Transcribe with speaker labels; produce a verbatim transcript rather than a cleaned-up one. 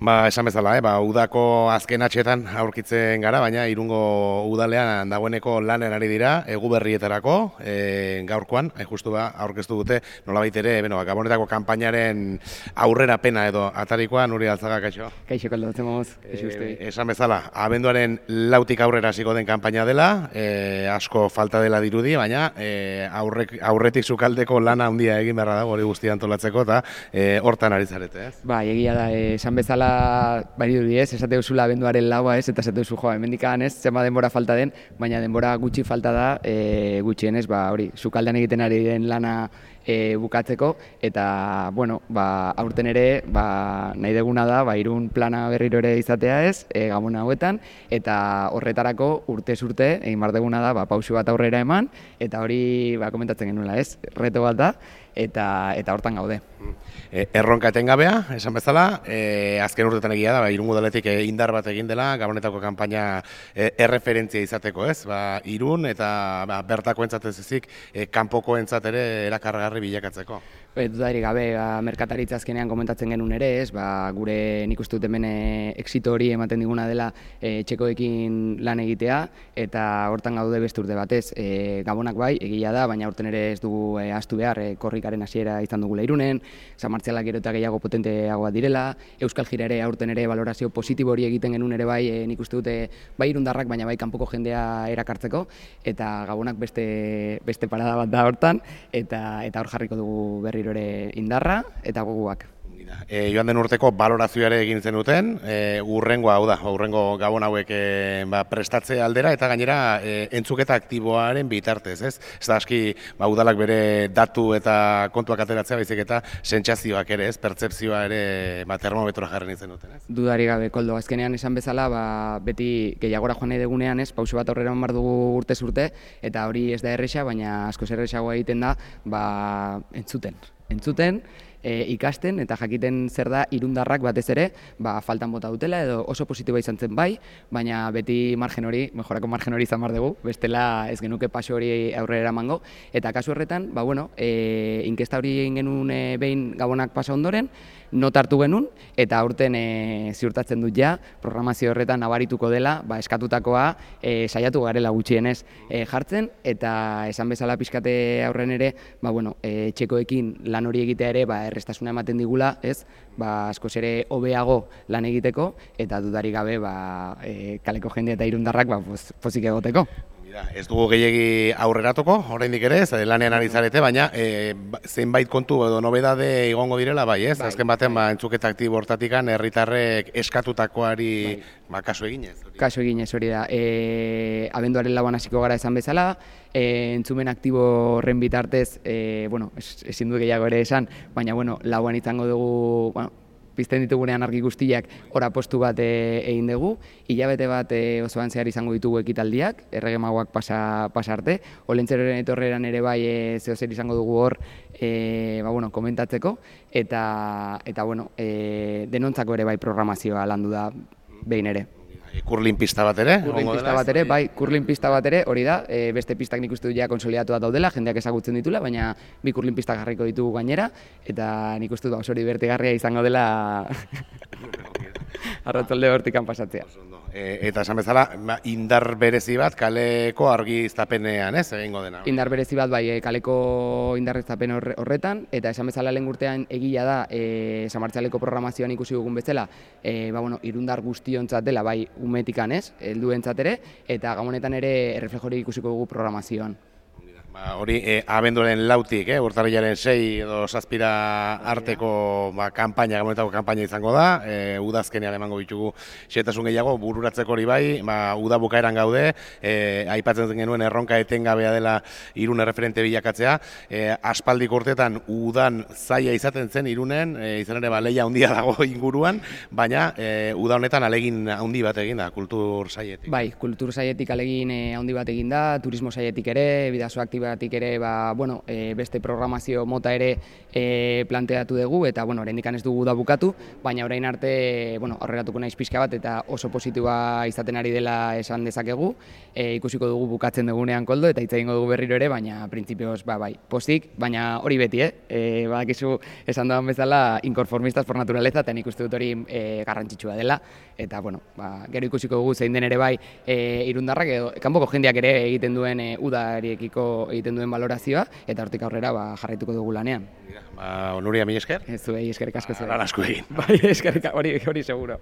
Speaker 1: Ba, esan bezala, eh? ba, udako azken atxetan aurkitzen gara, baina Irungo udalean dagoeneko lanen ari dira, egu berrietarako, e, gaurkoan, hain justu ba, aurkeztu dute, nolabait ere, bueno, Gabonetako kanpainaren aurrera pena edo atarikoa, Nuri Altzaga, kaixo?
Speaker 2: Kaixo, kaldatzen moz, kaixo
Speaker 1: e, Esan bezala, abenduaren lautik aurrera hasiko den kanpaina dela, e, asko falta dela dirudi, baina e, aurrek, aurretik sukaldeko lana handia egin beharra dago hori guztia antolatzeko, eta e, hortan ari zarete, ez?
Speaker 2: Ba, egia da, esan bezala bari dudi ez, esate duzula abenduaren laua ez, eta esate duzu joa, hemendikan ez, zema denbora falta den, baina denbora gutxi falta da, e, gutxienez, ba, hori, sukaldean egiten ari den lana e, bukatzeko, eta, bueno, ba, aurten ere, ba, nahi deguna da, ba, Irun plana berriro ere izatea ez, e, Gabon hauetan, eta horretarako urtez urte, egin bar deguna da, ba, pausu bat aurrera eman, eta hori, ba, komentatzen genuela ez, reto bat da, eta eta hortan gaude.
Speaker 1: E, erronka etengabea, esan bezala, e, azken urtetan egia da, ba, Irun udaletik e, indar bat egin dela, Gabonetako kanpaina e, erreferentzia izateko, ez? Ba, Irun eta ba, bertako entzatez ezik, e, kanpoko entzat ere erakargarri bilakatzeko.
Speaker 2: E, dudarik gabe, ba, merkataritza azkenean komentatzen genuen ere, ez? Ba, gure nik uste dut hemen exito hori ematen diguna dela e, txekoekin lan egitea, eta hortan gaude beste urte batez. E, Gabonak bai, egia da, baina urten ere ez dugu e, ahaztu behar, e, korrikaren hasiera izan dugula Irunen, San Martzialak gero eta gehiago potenteagoa direla, Euskal Jira ere aurten ere valorazio positibo hori egiten genuen ere bai, e, nik uste dute bai irundarrak, baina bai kanpoko jendea erakartzeko, eta Gabonak beste, beste parada bat da hortan, eta, eta hor jarriko dugu berriro ere indarra eta goguak.
Speaker 1: E, joan den urteko balorazioare egin zenuten, e, urrengoa, hau da, urrengo Gabon hauek e, ba, prestatze aldera, eta gainera e, entzuketa aktiboaren bitartez, ez? Ez da aski, ba, udalak bere datu eta kontuak ateratzea, baizik eta sentsazioak ere, ez? Pertzepzioa ere ba, termometroa jarren izen duten, ez?
Speaker 2: Dudari gabe, Koldo, azkenean esan bezala, ba, beti gehiagora joan nahi degunean, ez? Pausu bat aurrera eman behar dugu urtez urte, eta hori ez da erresa, baina askoz erresagoa egiten da, ba, entzuten. Entzuten, E, ikasten eta jakiten zer da irundarrak batez ere, ba, faltan bota dutela edo oso positiboa izan zen bai, baina beti margen hori, mejorako margen hori izan behar dugu, bestela ez genuke paso hori aurrera eramango, eta kasu horretan, ba, bueno, e, inkesta hori egin genuen e, behin Gabonak pasa ondoren, not hartu genuen, eta aurten e, ziurtatzen dut ja, programazio horretan nabarituko dela, ba, eskatutakoa e, saiatu garela gutxienez e, jartzen, eta esan bezala pixkate aurren ere, ba, bueno, e, txekoekin lan hori egitea ere, ba, errestasuna ematen digula, ez? Ba, askoz ere hobeago lan egiteko, eta dudarik gabe, ba, e, kaleko jende eta irundarrak, ba, pozik egoteko.
Speaker 1: Ez dugu gehiegi aurreratuko, oraindik ere, ez, lanean ari zarete, baina e, zenbait kontu edo nobedade igongo direla, bai, ez? Bai, azken baten, bai. Ba, entzuketa aktibo hortatikan, herritarrek eskatutakoari bai. Ba, kasu eginez.
Speaker 2: Kasu eginez hori da. E, abenduaren lauan hasiko gara esan bezala, e, entzumen aktibo horren bitartez, e, bueno, ezin du gehiago ere esan, baina, bueno, lauan izango dugu, bueno, pizten ditugunean argi guztiak ora postu bat e, egin dugu, hilabete bat e, osoan zehar izango ditugu ekitaldiak, erregemagoak pasa, pasa arte, olentzeroren etorreran ere bai e, zehozer izango dugu hor e, ba, bueno, komentatzeko, eta, eta bueno, e, denontzako ere bai programazioa landu da behin ere.
Speaker 1: Kurlin pista bat ere?
Speaker 2: Kurlin pista bat ere, bai, kurlin pista bat ere, hori da, e, beste pistak nik uste dut ja konsolidatu daudela, jendeak ezagutzen ditula, baina bi kurlin pistak jarriko ditugu gainera, eta nik uste dut oso divertigarria izango dela arratzalde hortikan pasatzea.
Speaker 1: E, eta esan bezala, indar berezi bat kaleko argiztapenean, ez, egingo dena?
Speaker 2: Indar berezi bat, bai, kaleko indarreztapen horretan, eta esan bezala lehen urtean egia da, e, San Martzialeko programazioan ikusi dugun bezala, e, ba, bueno, irundar guztiontzat dela, bai, umetikan ez, helduentzat ere, eta Gabonetan ere erreflejori ikusiko dugu programazioan.
Speaker 1: Ba, hori, e, abenduaren lautik, eh, urtarrilaren sei edo zazpira arteko ba, kanpaina, Gabonetako kanpaina izango da, e, udazkenean emango ditugu xehetasun gehiago, bururatzeko hori bai, ba, uda bukaeran gaude, e, aipatzen genuen erronka etengabea dela Irun erreferente bilakatzea, e, aspaldik urtetan udan zaila izaten zen Irunen, e, izan ere ba, lehia handia dago inguruan, baina e, uda honetan alegin handi bat egin da, kultur saietik.
Speaker 2: Bai, kultur saietik alegin handi bat egin da, turismo saietik ere, bidazo aktibo batik ere ba, bueno, e, beste programazio mota ere e, planteatu dugu, eta bueno, oraindik ez dugu da bukatu, baina orain arte bueno, aurreratuko naiz pixka bat eta oso positiboa izaten ari dela esan dezakegu, e, ikusiko dugu bukatzen dugunean koldo eta hitz egingo dugu berriro ere, baina printzipioz ba, bai, postik, baina hori beti, eh? E, badakizu esan doan bezala inkonformistas por naturaleza, eta nik uste dut hori e, garrantzitsua dela, eta bueno, ba, gero ikusiko dugu zein den ere bai e, irundarrak edo kanpoko jendeak ere egiten duen e, udariekiko egiten duen valorazioa, eta hortik aurrera ba, jarraituko dugu lanean.
Speaker 1: Ba, Nuria, mi esker?
Speaker 2: Ez zuei eskerrik asko zuei.
Speaker 1: Ba, asko egin.
Speaker 2: Bai, eskerrik hori, hori seguro.